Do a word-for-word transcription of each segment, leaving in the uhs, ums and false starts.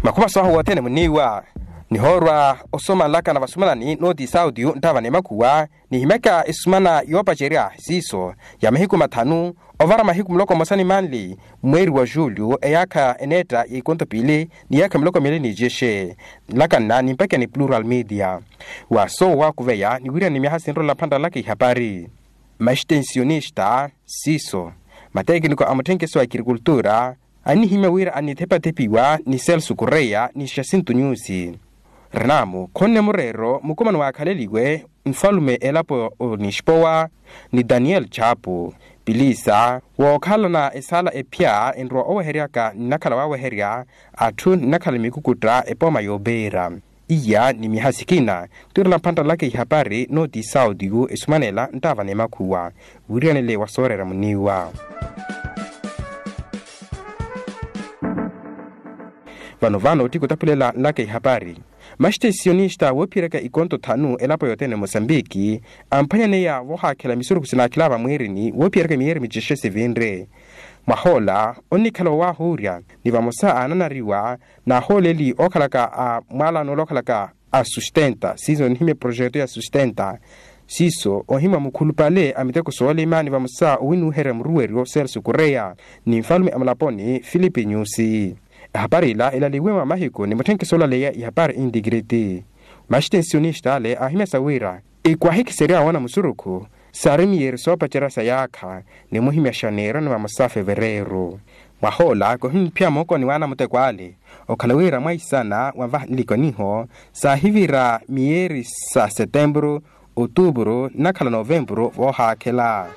Makhumaso ahu wothene muniiwa nihoorwa osoma nlaka na vasumanani nooti sauti nttaavana emakhuwa nihimyaka esumana yoopacerya siiso ya mahiku mathanu ovara mahiku muloko mmosa ni manli mweeri wa julio eyaakha eneetta ya ikonto piili ni yaakha miloko miili ni jexe. Nlaka nna nimpakiya ni plural media wa soowo waakuveya ni wiirana ni myaha sinrolela phantta nlaka ihapari. Maxtensionista siiso matekiniko a mutthenkeso wa agrikultura annihimya wira annithepathepiwa ni celso correia ni jacinto nyusi. Renamu khonne mureero mukumano waakhaleliwe nfalume elapo o nixpowa ni daniel chapu pilisa wookhalana esaala ephya enrowa oweheryaka nnakhala waaweherya atthu nnakhala mikukutta epooma yoopeera. Iya ni myaha sikina twirela mphantta nlaka ihapari nooti sauti yu esumanela nttaavana emakhuwa wiiriyanele wa sooreera muniiwa. Vano vano ottiku otaphulela nlaka ihapari maxtensionista woophiyeryaka ikonto thanu elapo yothene mosambiki amphwanyaneya voohaakhela misurukhu sinaakhela vamwiirini woophiyeryaka miyeeri micexe sivinre. Mwahoola onnikhala wowaahuurya ni vamosa aananariwa n'ahooleli ookhalaka a mwaalano ole ookhalaka a sustenta siiso onihimya eprojeto ya sustenta siiso ohimya mukhulupale a miteko soolima ni vamosa owinuuherya muruweryo celso correia ni nfalume a mulaponi filipe nyusi. Ehapari ila elaliwe mwa mahiku ni mutthenkeso olaleya ihapari integrity. Maxtensionista ale aahimyasa wira ikwaahikiserya woona musurukhu saari miyeeri soopacerya sa yaakha ni muhimya xaneiro ni vamosa fevereiro. Mwahoola kohiniphiya mookoni waana muteko ale okhala wira mwaisana wanvaha nlikoniho saahivira miyeeri sa setempuru otupuru nnakhala novempuru voohaakhela.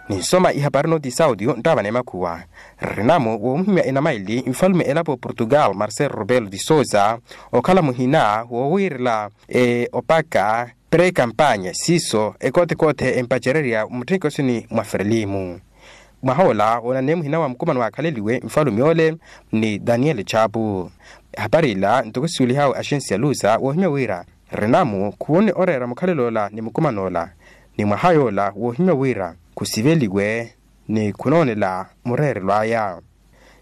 Ninsoma ihapari nooti sauti nttaavana emakhuwa. Rinamu woomuhimya enamaili nfalume elapo portugal marcelo robelo de sousa okhala muhina woowiirela opaka pre campanya siiso ekothekothe empacererya mutthenkesoni mwa frelimu. Mwaha ola woonaneya muhina wa mukumano waakhaleliwe nfalume ole ni daniel chapu. Ehapari ila ntoko siwelihawe axensi ya lusa woohimya wira rinamu khuwonne oreera mukhalelo ola ni mukumano ola ni mwaha yoola woohimya wira khusiveliwe ni khunoonela mureerelo aya.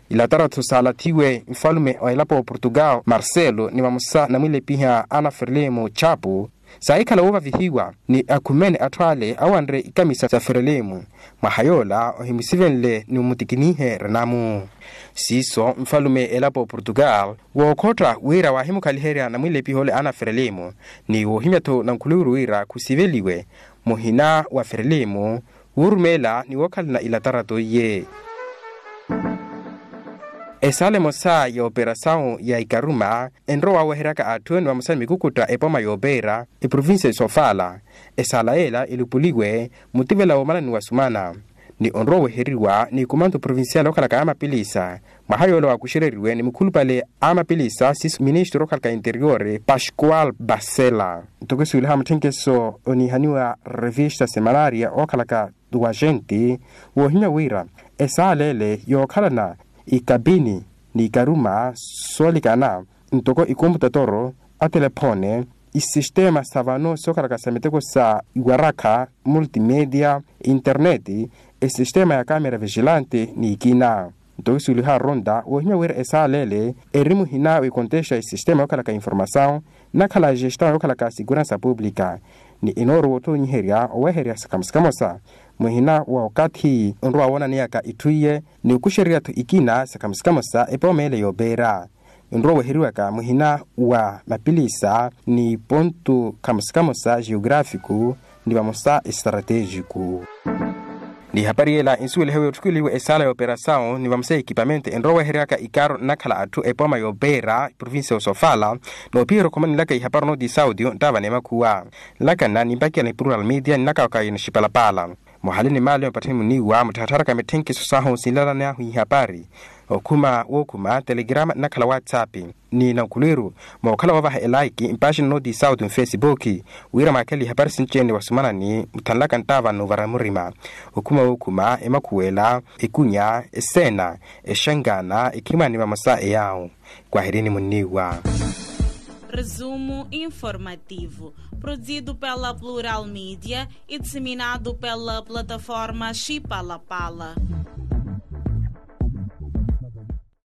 Ilataratho saalathiwe nfalume wa elapo portugal marcelo ni vamosa namwilepiha ana ferlimo chapu saahikhala woovavihiwa ni akhumene atthu ale awanre ikamisa sa ferlimo. Mwaha yoola ohimusivenle ni omutikinihe renamu. Siiso nfalume elapo portugal wookhotta wira waahimukhaliherya namwilepiha ole ana ferlimo ni woohimya-tho nankhuluwiru wira khusiveliwe muhina wa ferlimo wuurumeela ni wookhalana ilatarato iye. Esaala emosa ya operasawu ya ikaruma enrowa waaweheryaka atthu ni vamosa ni mikukutta epooma yoopeera eprovincia ya sofala. Esaala yeela elupuliwe mutivela woomalani wa sumana ni onrowa oweheriwa ni kumanto provincial okhalaka a mapilisa. Mwaha yoola waakuxereriwe ni mukhulupale a mapilisa siiso ministro okhalaka interior pascual basela. Ntoko esiweliha mutthenkeso oniihaniwa revista semanaria okhalaka wa gente woohimya wira esaala ele yookhalana ikapini ni ikaruma soolikana ntoko ikomputotoro atelephone isistema sa vano sookhalaka sa miteko sa iwarakha multimedia interneti esistema ya kamera vigilante ni ikina. Ntoko isuweliha ronda woohimya wira esaala ele eri muhina wikontesta esistema yookhalaka informasawu nnakhala agestao yookhalaka asikuransa publika ni enoorowa othoonyiherya oweherya sakamosa kamosa muhina wa okathi onrowa woonaneyaka itthu iye ni okuxererya-tho ikina sakamosa kamosa epooma ele yoopeera. Enrowa oweheriwaka muhina wa mapilisa ni pontu kamosa kamosa geografiku ni vamosa estratejiku. Ni ihapari yela insuwelihewe otthukuliwe esaala ya operasawu ni vamosa ya ekipamente enrowa oweheryaka ikaaro nnakhala atthu epooma yoopeera provincia ya osofala. Noophiyerya okhomanelaka ihapari onooti sauti nttaavana emakhuwa. Nlaka nna nimpakela ni plural media ni nnakawaka ya nixipalapala. Muhali ni maali ompatthani muniiwa mutthattharaka mitthenkiso sahu sinlalani ahu ihapari okhuma wookhuma telegrama nnakhala whatsapp ni nankhulwiru mookhala woovaha elaiki mpaaxina nooti sauti nfesipuki wira mwaakhele ihapari sinci-ene wasumanani muthanlaka nttaavana ovara murima. Okhuma wookhuma emakhuwela ekunya eseena exangaana ekhimwaani vamosa eyaawu. Kwahirini muniiwa. Resumo informativo produzido pela plural media e disseminado pela plataforma xipalapala.